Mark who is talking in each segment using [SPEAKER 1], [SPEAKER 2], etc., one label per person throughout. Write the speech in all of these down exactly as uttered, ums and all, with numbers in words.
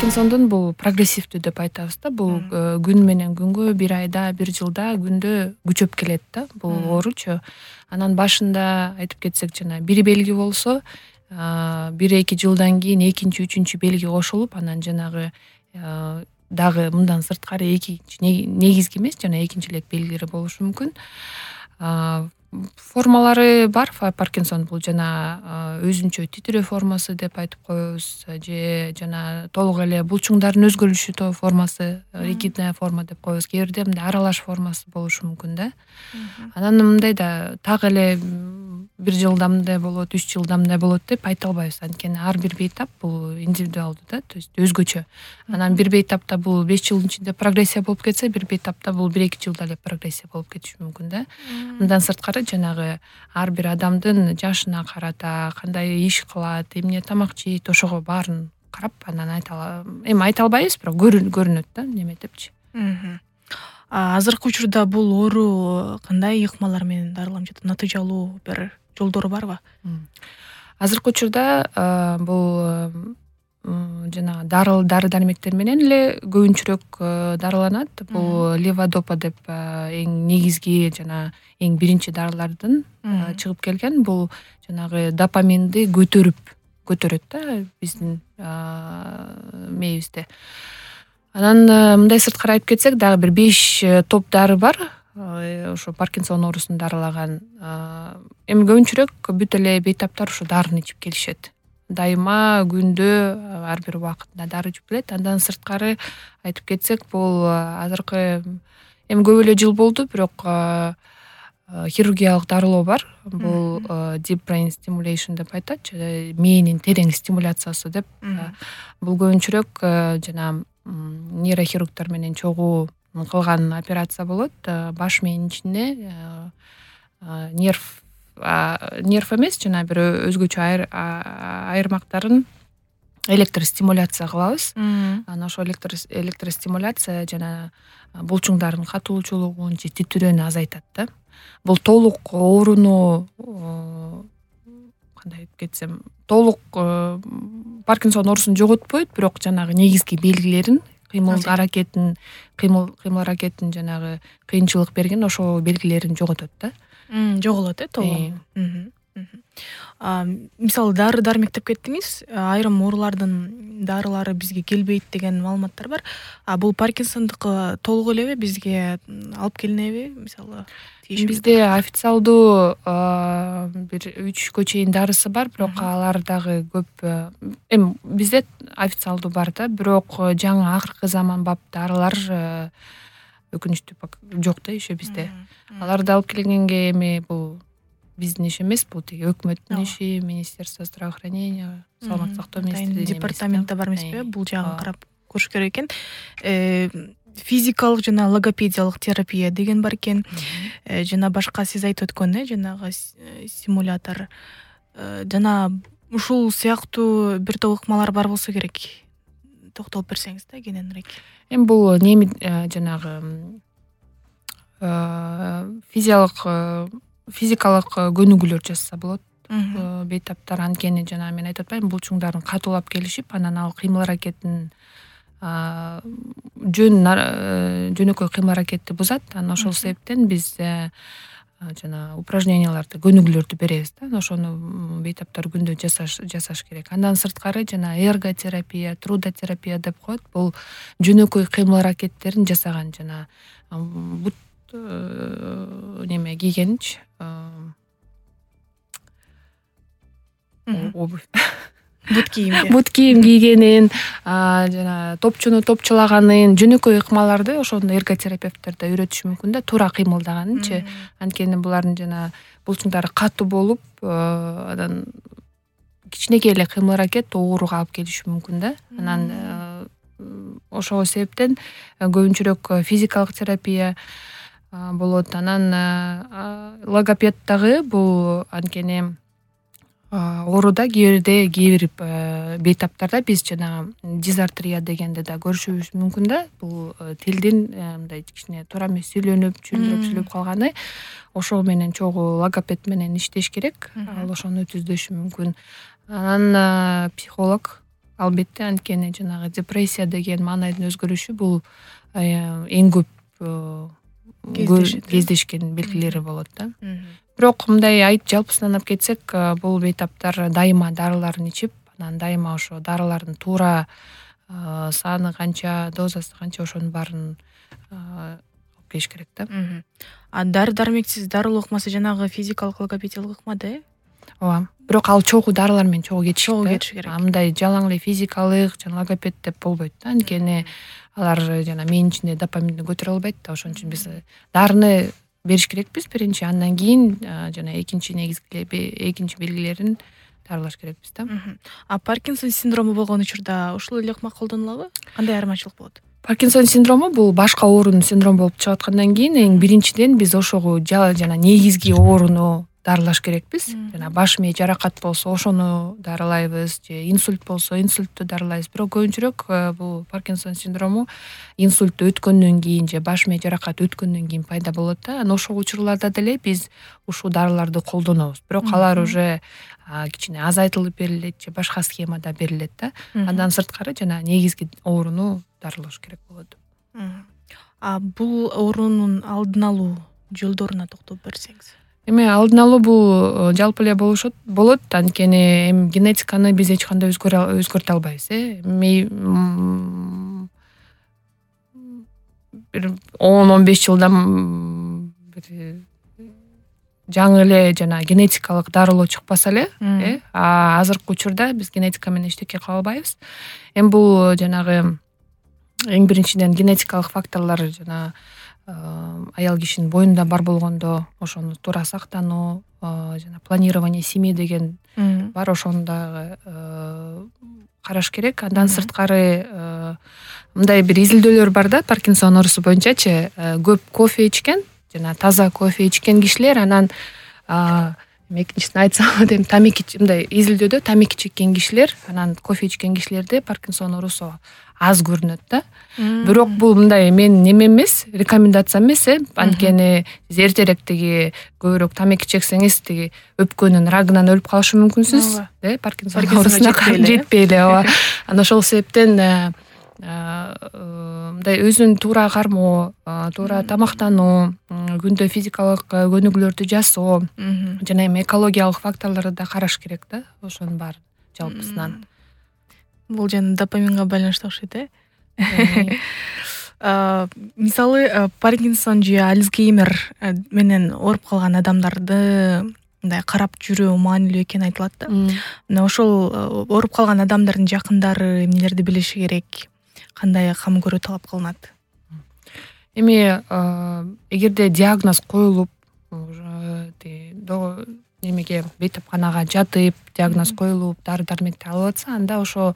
[SPEAKER 1] Паркинсондун бул прогрессивдүү деп айтабыз да. Бул күн менен күнгө, бир айда, бир жылда, күндө күчөп келет да бул ооручу. Анан башында айтып кетсек жана бир белги болсо, бир эки жылдан кийин экинчи, үчүнчү белги кошулуп, анан жанагы дагы мындан сырткары экинчи негизги эмес, жана экинчилек белгилери болушу мүмкүн. Формалары бар. Паркинсон бул жана өзүнчө титирөө формасы деп айтып коебуз, же жана толук эле булчуңдардын өзгөрүшү формасы, ригидная форма деп коебуз. Кээ бирде мындай аралаш формасы болушу мүмкүн да. Анан мындай да так эле бир жылда мындай болот, үч жылда мындай болот деп айта албайбыз. Анткени ар бир бейтап бул индивидуалдуу да, то есть өзгөчө. Анан бир бейтапта бул беш жылдын ичинде прогрессия болуп кетсе, бир бейтапта бул бир эки жылда эле прогрессия болуп кетиши мүмкүн да. Мындан сырткары жанагы ар бир адамдын жашына карата, кандай иш кылат, эмне тамак жейт, ошого баарын карап анан айта эми айта албайбыз, бирок көрүнөт да неме депчи.
[SPEAKER 2] Азыркы учурда бул оору кандай ыкмалар менен дарыланып жатат? Натыйжалуу бир жолдору барбы?
[SPEAKER 1] Азыркы учурда бул жана дары дармектер менен эле көбүнчөрөөк дарыланат. Бул леводопа деп эң негизги жана эң биринчи дарылардын чыгып келген. Бул жанагы допаминди көтөрүп көтөрөт да биздин мээбизде. Анан мындай сырткары айтып кетсек, дагы бир беш топ дары бар. Ошо Паркинсон оорусун дарылаган. Эми көбүнчөрөөк бүт эле бейтаптар ошо дарыны ичип келишет. Дайыма күндө ар бир убакытында дары ичип келет. Андан сырткары айтып кетсек, бул азыркы эми көп эле жыл болду, бирок хирургиялык дарылоо бар. Бул deep brain stimulation деп айтат, мээнин терең стимуляциясы деп. Бул көбүнчөрөөк жана нейрохирургтар менен чогуу кылган операция болот. Баш мээнин ичинде нерв нерв эмес, жана бир өзгөчө айырмактарын электростимуляция кылабыз. Анан ошо электростимуляция жана булчуңдардын катуулуучулугун же титирөөнү азайтат да. Бул толук ооруну кандай айтып кетсем, толук Паркинсон оорусун жоготпойт, бирок жанагы негизги белгилерин, кыймыл аракетин, кыймыл кыймыл аракетин жанагы кыйынчылык берген ошо белгилерин жоготот да.
[SPEAKER 2] Жоголот э толук. Мисалы дары дармек деп кеттиңиз. Айрым оорулардын дарылары бизге келбейт деген маалыматтар бар. А бул Паркинсондуку толук элеби бизге алып келинеби? Мисалы
[SPEAKER 1] бизде официалдуу бир үчкө чейин дарысы бар, бирок алар дагы көп. Эми бизде официалдуу бар да, бирок жаңы акыркы заманбап дарылар өкүнүчтүү жок да еще бизде. Аларды алып келгенге эми бул биздин иш эмес, бул тиги өкмөттүн иши, Министерство здравоохранения, саламаттык сактоо министрлигинин
[SPEAKER 2] департаментте бар эмеспи? Бул жагын карап көрүш керек экен. Физикалык жана логопедиялык терапия деген бар экен. Жана башка сиз айтып өткөн э жанагы стимулятор. Жана ушул сыяктуу бир топ ыкмалар бар болсо керек. Токтолуп берсеңиз да кененирээк.
[SPEAKER 1] Эми бул неми жанагы физиялык физикалык көнүгүүлөр жасаса болот. Бейтаптар анткени жана мен айтып атпаймынбы, булчуңдардын катуулап келишип, анан ал кыймыл аракетин жөн жөнөкөй кыймыл аракетти бузат. Анан ошол себептен биз жана упражненияларды, көнүгүүлөрдү беребиз да. Ошону бейтаптар күндө жасаш жасаш керек. Андан сырткары жана эрготерапия, трудотерапия деп коет. Бул жөнөкөй кыймыл аракеттерин жасаган жана бут неме кийгенчи обувь
[SPEAKER 2] бут кийим
[SPEAKER 1] бут кийим кийгенин, жана топчуну топчулаганын, жөнөкөй ыкмаларды ошондо эрготерапевттер да үйрөтүшү мүмкүн да, туура кыймылдаганынчы. Анткени булардын жана булчуңдары катуу болуп, анан кичинекей эле кыймыл аракет ооруга алып келиши мүмкүн да. Анан ошол себептен көбүнчөрөөк физикалык терапия болот. Анан логопед дагы бул анткени ооруда кээ бирде кээ бир бейтаптарда биз жана дизартрия дегенди да көрүшүбүз мүмкүн да. Бул тилдин мындай кичине туура эмес сүйлөнүп, чүйлөп сүйлөп калганы. Ошол менен чогуу логопед менен иштеш керек. Ал ошону түздөшү мүмкүн. Анан психолог албетте, анткени жанагы депрессия деген маанайдын өзгөрүшү бул эң көп кездешкен белгилери болот да. Бирок мындай айт жалпысынан алып кетсек, бул бейтаптар дайыма дарыларын ичип, анан дайыма ошо дарылардын туура саны канча, дозасы канча, ошонун баарын алып келиш керек да.
[SPEAKER 2] А дары дармексиз дарылоо ыкмасы жанагы физикалык логопедиялык ыкмада, э?
[SPEAKER 1] Ооба. Бирок ал чогуу дарылар менен чогуу кетиш
[SPEAKER 2] чогуу кетиш керек.
[SPEAKER 1] Мындай жалаң эле физикалык жана логопед деп болбойт да, анткени алар жана мээнин ичинде допаминди көтөрө албайт да. Ошон үчүн биз дарыны бериш керекпиз биринчи, андан кийин жана экинчи негизги экинчи белгилерин дарылаш керекпиз да.
[SPEAKER 2] А Паркинсон синдрому болгон учурда ушул эле ыкма колдонулабы? Кандай айырмачылык болот?
[SPEAKER 1] Паркинсон синдрому бул башка оорунун синдрому болуп чыгып аткандан кийин эң биринчиден биз ошого жана негизги ооруну дарылаш керекпиз. Жана баш мээ жаракат болсо ошону дарылайбыз, же инсульт болсо инсультту дарылайбыз. Бирок көбүнчөрөөк бул Паркинсон синдрому инсульт өткөндөн кийин же баш мээ жаракаты өткөндөн кийин пайда болот да. Анан ошол учурларда деле биз ушул дарыларды колдонобуз. Бирок алар уже кичине азайтылып берилет же башка схемада берилет да. Андан сырткары жана негизги ооруну дарылаш керек болот.
[SPEAKER 2] А бул оорунун алдын алуу жолдоруна токтолуп берсеңиз.
[SPEAKER 1] Эми алдын алуу бул жалпы эле болушот болот, анткени эми генетиканы биз эч кандай өзгөртө албайбыз, э. Бир он он беш жылдан бир жаңы эле жана генетикалык дарылоо чыкпаса эле, э, а азыркы учурда биз генетика менен эчтеке кыла албайбыз. Эми бул жанагы эң биринчиден генетикалык факторлор жана аял кишинин боюнда бар болгондо ошону туура сактануу, жана планирование семьи деген бар, ошону дагы караш керек. Андан сырткары мындай бир изилдөөлөр бар да, Паркинсон оорусу боюнчачы, көп кофе ичкен жана таза кофе ичкен кишилер, анан экинчисин айтсам эми тамеки, мындай изилдөөдө тамеки чеккен кишилер, анан кофе ичкен кишилерде Паркинсон оорусу аз көрүнөт да. Бирок бул мындай менин неме эмес, рекомендация эмес, э, анткени сиз эртерээк тиги көбүрөөк тамеки чексеңиз тиги өпкөнүн рагынан өлүп калышы мүмкүнсүз, э, Паркинсон оорусуна жетпей эле, ооба. Анан ошол себептен мындай өзүн туура кармоо, туура тамактануу, күндө физикалык көнүгүүлөрдү жасоо жана эми экологиялык факторлорду да караш керек да, ошонун баарын жалпысынан.
[SPEAKER 2] Бул жана допаминге байланыштуу окшойт, э? Мисалы, Паркинсон же Альцгеймер менен ооруп калган адамдарды мындай карап жүрүү маанилүү экени айтылат да. Мына ошол ооруп калган адамдардын жакындары эмнелерди билиши керек? Кандай кам көрүү талап кылынат?
[SPEAKER 1] Эми эгерде диагноз коюлуп, немеге бейтапканага жатып, диагноз коюлуп, дары дармекти алып атса, анда ошо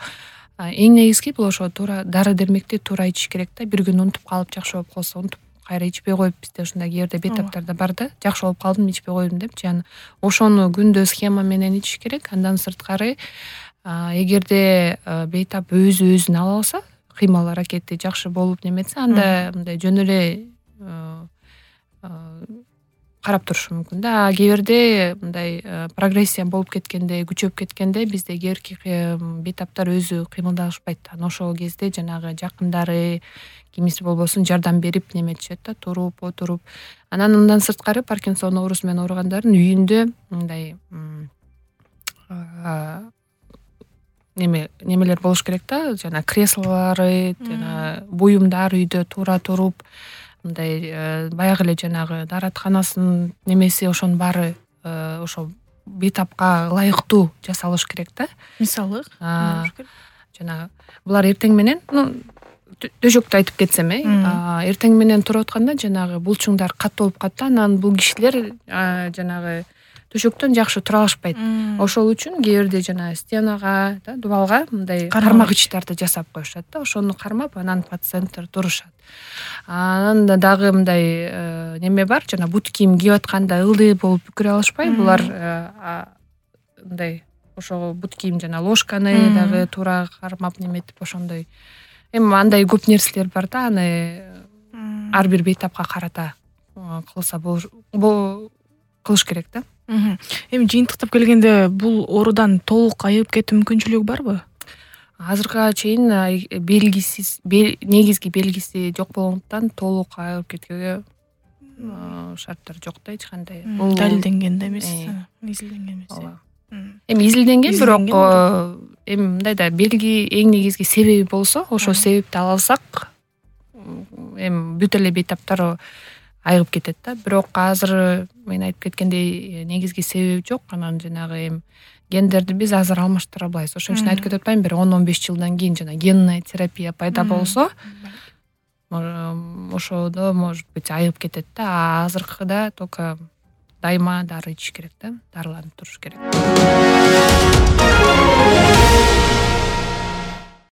[SPEAKER 1] эң негизги бул ошо туура дары дармекти туура ичиш керек да. Бир күн унутуп калып, жакшы болуп калса унутуп кайра ичпей коюп, бизде ушундай кээ бирде бейтаптарда бар да, жакшы болуп калдым, ичпей койдум депчи, анан ошону күндө схема менен ичиш керек. Андан сырткары, эгерде бейтап өзү өзүн ала алса, кыймыл аракети жакшы болуп неметсе, анда мындай жөн эле карап турушу мүмкүн да. Кээ бирде мындай прогрессия болуп кеткенде, күчөп кеткенде бизде кээ бирки бейтаптар өзү кыймылдашпайт. Анан ошол кезде жанагы жакындары, кимиси болбосун жардам берип неметишет да, туруп, отуруп. Анан андан сырткары Паркинсон оорусу менен ооругандардын үйүндө мындай неме немелер болуш керек да, жана креслолары, жана буюмдар үйдө туура туруп, мындай баягы эле жанагы дааратканасынын немеси, ошонун баары ошо бейтапка ылайыктуу жасалыш керек да.
[SPEAKER 2] Мисалы,
[SPEAKER 1] жана булар эртең менен, төшөктү айтып кетсем, э, эртең менен туруп атканда жанагы булчуңдар катуу болуп калат да, анан бул кишилер жанагы төшөктөн жакшы тура алышпайт. Ошол үчүн кээ бирде жана стенага, да, дубалга мындай кармагычтарды жасап коюшат да, ошону кармап, анан пациенттер турушат. Анан дагы мындай неме бар, жана бут кийим кийип атканда ылдый болуп бүкүрө алышпай, булар мындай ошо бут кийим жана ложканы дагы туура кармап неметип ошондой. Эми андай көп нерселер бар да, аны ар бир бейтапка карата кылса болуш кылыш керек да.
[SPEAKER 2] Эми жыйынтыктап келгенде бул оорудан толук айыгып кетүү мүмкүнчүлүгү барбы?
[SPEAKER 1] азыркыга чейин белгисиз негизги белгиси жок болгондуктан толук айыгып кеткенге шарттар жок да эч кандай.
[SPEAKER 2] Бул далилденген да эмес, изилденген эмес.
[SPEAKER 1] Эми изилденген, бирок эми мындай да белги эң негизги себеби болсо, ошол себепти ала алсак, эми бүт эле бейтаптар айыгып кетет да. Бирок азыр мен айтып кеткендей негизги себеби жок. Анан жанагы эми гендерди биз азыр алмаштыра албайбыз. Ошон үчүн айтып кетип атпаймынбы, бир он он беш жылдан кийин жана генная терапия пайда болсо, ошодо может быть айыгып кетет да. А азыркыда только дайыма дары ичиш керек да, дарыланып туруш керек.